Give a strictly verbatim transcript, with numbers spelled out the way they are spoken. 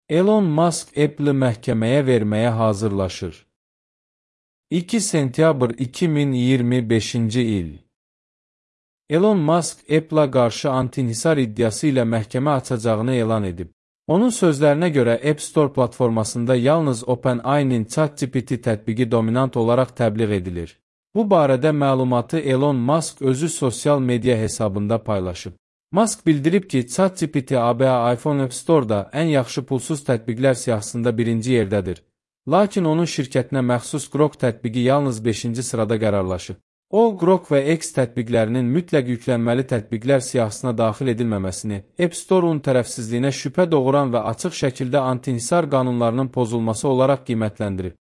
Elon Musk Apple-ı məhkəməyə verməyə hazırlaşır. iki sentyabr iki min iyirmi beşinci il. Elon Musk Apple-a qarşı anti-inhisar iddiası ilə məhkəmə açacağını elan edib. Onun sözlərinə görə App Store platformasında yalnız OpenAI-nin ChatGPT tətbiqi dominant olaraq təbliğ edilir. Bu barədə məlumatı Elon Musk özü sosial media hesabında paylaşıb. Musk bildirib ki, ChatGPT A B A iPhone App Store-da ən yaxşı pulsuz tətbiqlər siyahısında birinci yerdədir. Lakin onun şirkətinə məxsus Grok tətbiqi yalnız beşinci sırada qərarlaşıb. O, Grok və X tətbiqlərinin mütləq yüklənməli tətbiqlər siyahısına daxil edilməməsini, App Store-un tərəfsizliyinə şübhə doğuran və açıq şəkildə anti-inhisar qanunlarının pozulması olaraq qiymətləndirib.